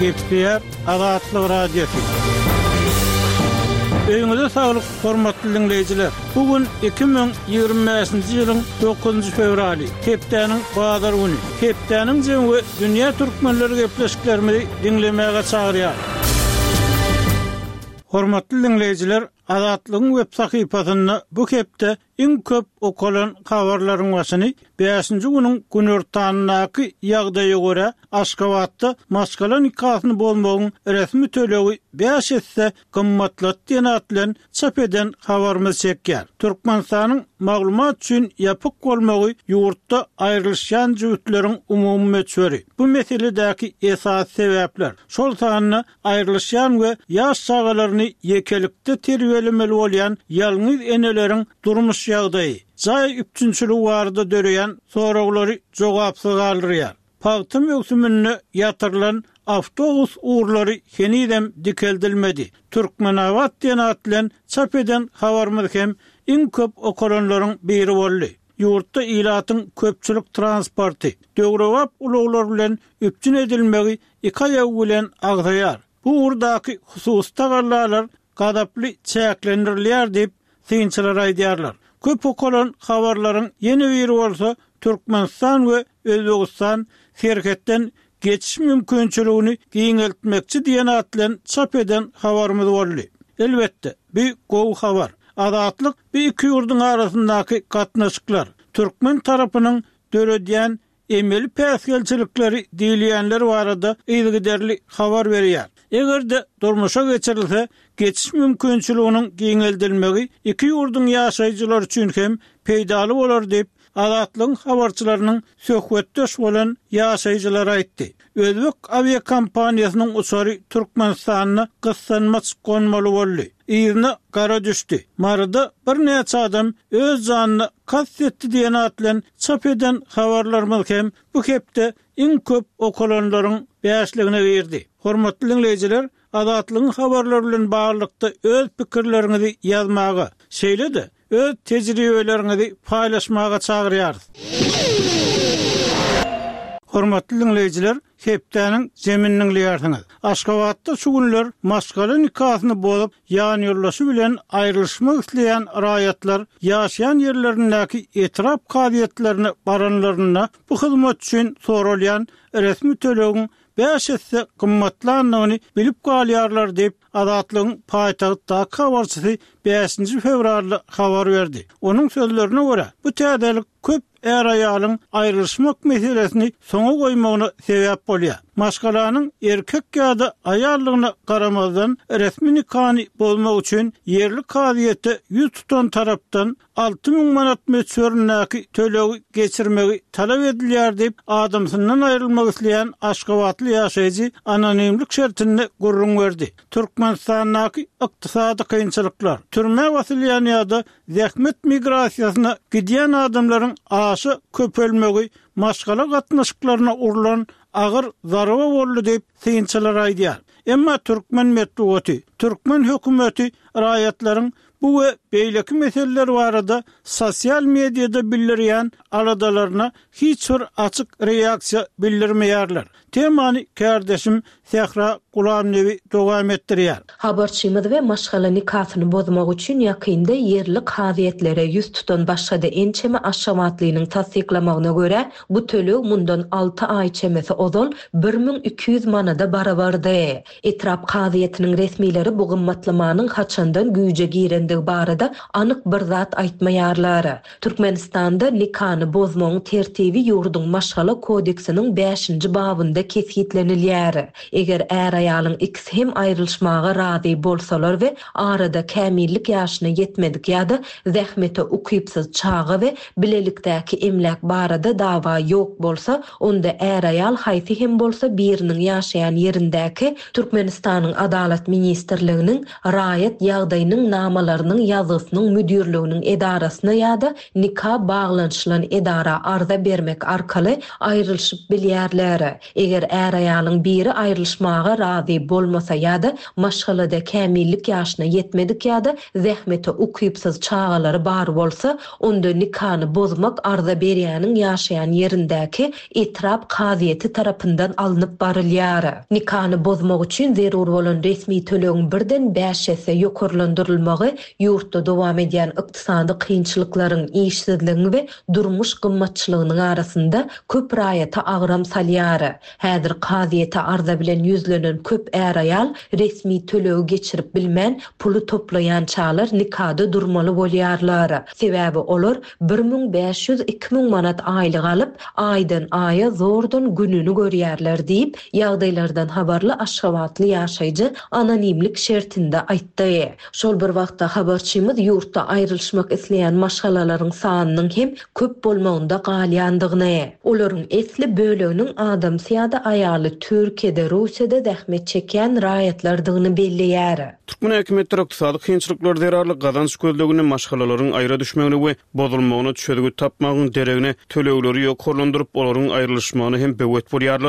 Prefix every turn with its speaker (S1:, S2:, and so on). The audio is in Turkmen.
S1: Gepleýär Azatlyk Radiosy. Öýüňize saglyk, hormatly diňleýjiler! Bu gün 2025-nji ýylyň dokuzynjy fewraly, hepdäniň bazar güni. Hepdäniň jemi we dünýä türkmenleri gepleşiklerimizi diňlemäge çagyrýar. Hormatly diňleýjiler, Azatlygyň web sahypasynda bu hepde Iň köp okalan habarlaryň başyny bäşinji günüň günortanyndaky ýagdaýa görä, Aşgabatda maşgala nikasyny bozmagyň resmi tölegi bäş esse gymmatlady diýen at bilen çap eden habarymyz çekýär. Türkmenistanyň maglumat üçin ýapyk bolmagy ýurtda aýrylyşýan jübütleriň umumy möçberi, bu meseledäki esasy sebäpler, şol sanda aýrylyşýan we ýaş çagalaryny ýekelikde terbiýelemeli bolýan ýalňyz eneleriň durmuş ýagdaýy, jaý üpjünçiligi barada döreýän soraglary jogapsyz galdyrýar. Pagta möwsüminde ýatyrylan awtobus ugurlary henizem dikeldilmedi. Türkmenabat diýen at bilen çap eden habarymyz hem iň köp okalanlaryň biri boldy. Ýurtda ilatyň köpçülik transporty, döwrebap ulaglar bilen üpjün edilmegi iki aýagy bilen agzaýar. Bu ugurdaky hususy tagallalar gazaply çäklendirilýär diýip, synçylar aýdýarlar. Köp okalan habarlaryň ýene biri bolsa Türkmenistan we Özbegistan serhetden geçiş mümkinçiligini giňeltmekçi diýen at bilen çap eden habarymyz boldy. Elbetde, bu gowy habar. Azatlyk bu iki ýurduň arasyndaky gatnaşyklar, türkmen tarapynyň döredýän emeli päsgelçilikleri diýilýänler barada yzygiderli habar berýär. Eger-de durmuşa geçirilse, geçiş mümkinçiliginiň giňeldilmegi iki ýurduň ýaşaýjylary üçin hem peýdaly bolar diýip, Azatlygyň habarçylarynyň söhbetdeş bolan ýaşaýjylary aýtdy. Özbek awiakompaniýasynyň uçary Türkmenistanda gyssanmaç gonmaly boldy. Yzyna gara düşdi. Maryda birnäçe adam öz janyna kast etdi diýen at bilen çap eden habarlarymyz hem bu hepde iň köp okalanlaryň bäşligine girdi. Hormatly diňleýjiler, Azatlygyň habarlary bilen baglylykda öz pikirleriňizi ýazmaga, şeýle-de öz tejribeleriňizi paýlaşmaga çagyrýarys. Hormatly diňleýjiler, hepdäniň jemini diňleýärsiňiz. Aşgabatda şu günler maşgala nikasyny bozup, ýanýoldaşy bilen aýrylyşmak isleýän raýatlar ýaşaýan ýerlerindäki etrap kazyýetlerine baranlarynda bu hyzmat üçin soralýan resmi tölegiň bäş esse gymmatlandygyny bilip galýarlar diýip, Azatlygyň paýtagtdaky habarçysy bäşinji fewralda habar berdi. Onuň sözlerine görä, bu täzelik köp är-aýalyň aýrylyşmak meselesini soňa goýmagyna sebäp bolýar. Maşgalanyň erkek ýa-da aýaldygyna garamazdan, resmi nikany bozmak üçin ýerli kazyýete ýüz tutan tarapdan 6000 manat möçberindäki tölegi geçirmegi talap edilýär diýip, adamsyndan aýrylmak isleýän aşgabatly ýaşaýjy anonimlik şertinde gürrüň berdi. Türkmenistandaky ykdysady kynçylyklar, türmä basylýan ýa-da zähmet migrasiýasyna gidýän adamlaryň aşa köpelmegi maşgala gatnaşyklaryna urlan agyr zarba boldy diýip, synçylar aýdýar. Emma türkmen metbugaty, türkmen hökümeti raýatlaryň Bu we beýleki meseleler barada sosial mediada bildirýän aladalaryna hiç bir açyk reaksiýa bildirmeýärler. Temany kärdeşim Sähra Gulamnebi dowam etdirýär.
S2: Habarçymyz we maşgala nikasyny bozmak üçin ýakynda ýerli kazyýetlere ýüz tutan başga-da ençeme aşgabatlynyň tassyklamagyna görä, bu töleg mundan alty aý çemesi ozal 1200 manada barabardy. Etrap kazyýetiniň resmileri bu gymmatlamanyň haçandan güýje girendigi barada anyk bir zat aýtmaýarlar. Türkmenistanda nikany bozmagyň tertibi ýurduň Maşgala kodeksiniň bäşinji babynda kesgitlenilýär. Eger är-aýalyň ikisi hem aýrylyşmaga razy bolsalar we arada kämillik ýaşyna ýetmedik ýa-da zähmete ukypsyz çaga we bilelikdäki emläk barada dawa ýok bolsa, onda är-aýal haýsy hem bolsa biriniň ýaşaýan ýerindäki Türkmenistanyň Adalat ministrliginiň Raýat ýagdaýynyň namalarynyň ýazgysynyň müdirliginiň edarasyna ýa-da nika baglanyşylan edara arza bermek arkaly aýrylyşyp bilýärler. Eger är-aýalyň biri aýrylyşmaga. razy bolmasa ýa-da maşgalada kämillik ýaşyna ýetmedik ýa-da zähmete ukypsyz çagalary bar bolsa, onda nikany bozmak arza berýäniň ýaşaýan ýerindäki etrap kazyýeti tarapyndan alnyp barylýar. Nikany bozmak üçin zerur bolan resmi tölegiň birden bäş esse ýokarlandyrylmagy ýurtda dowam edýän ykdysady kynçylyklaryň, işsizligiň we durmuş gymmatçylygynyň arasynda köp raýata agram salýar. Häzir kazyýete arza bilen ýüzlenen köp är-aýal resmi tölegi geçirip bilmän, puly toplaýançalar nikada durmaly bolýarlar. Sebäbi olar 1500, 2000 manat aýlyk alyp, aýdan-aýa zordan gününi görýärler diýip, ýagdaýlardan habarly aşgabatly ýaşaýjy anonimlik şertinde aýtdy. Şol bir wagtda, habarçymyz ýurtda aýrylyşmak isleýän maşgalalaryň sanynyň hem köp bolmagynda galýandygyny, olaryň esli böleginiň adamsy ýa-da aýaly Türkiýede, Russiýada zähmet çekýän raýatlardygyny belleýär.
S3: Türkmen häkimiýetleri ykdysady kynçylyklar zerarly gazanç gözleginde maşgalalaryň aýra düşmegine we bozulmagyna çözgüt tapmagyň deregine, tölegleri ýokarlandyryp, olaryň aýrylyşmagyna hem böwet bolýarlar.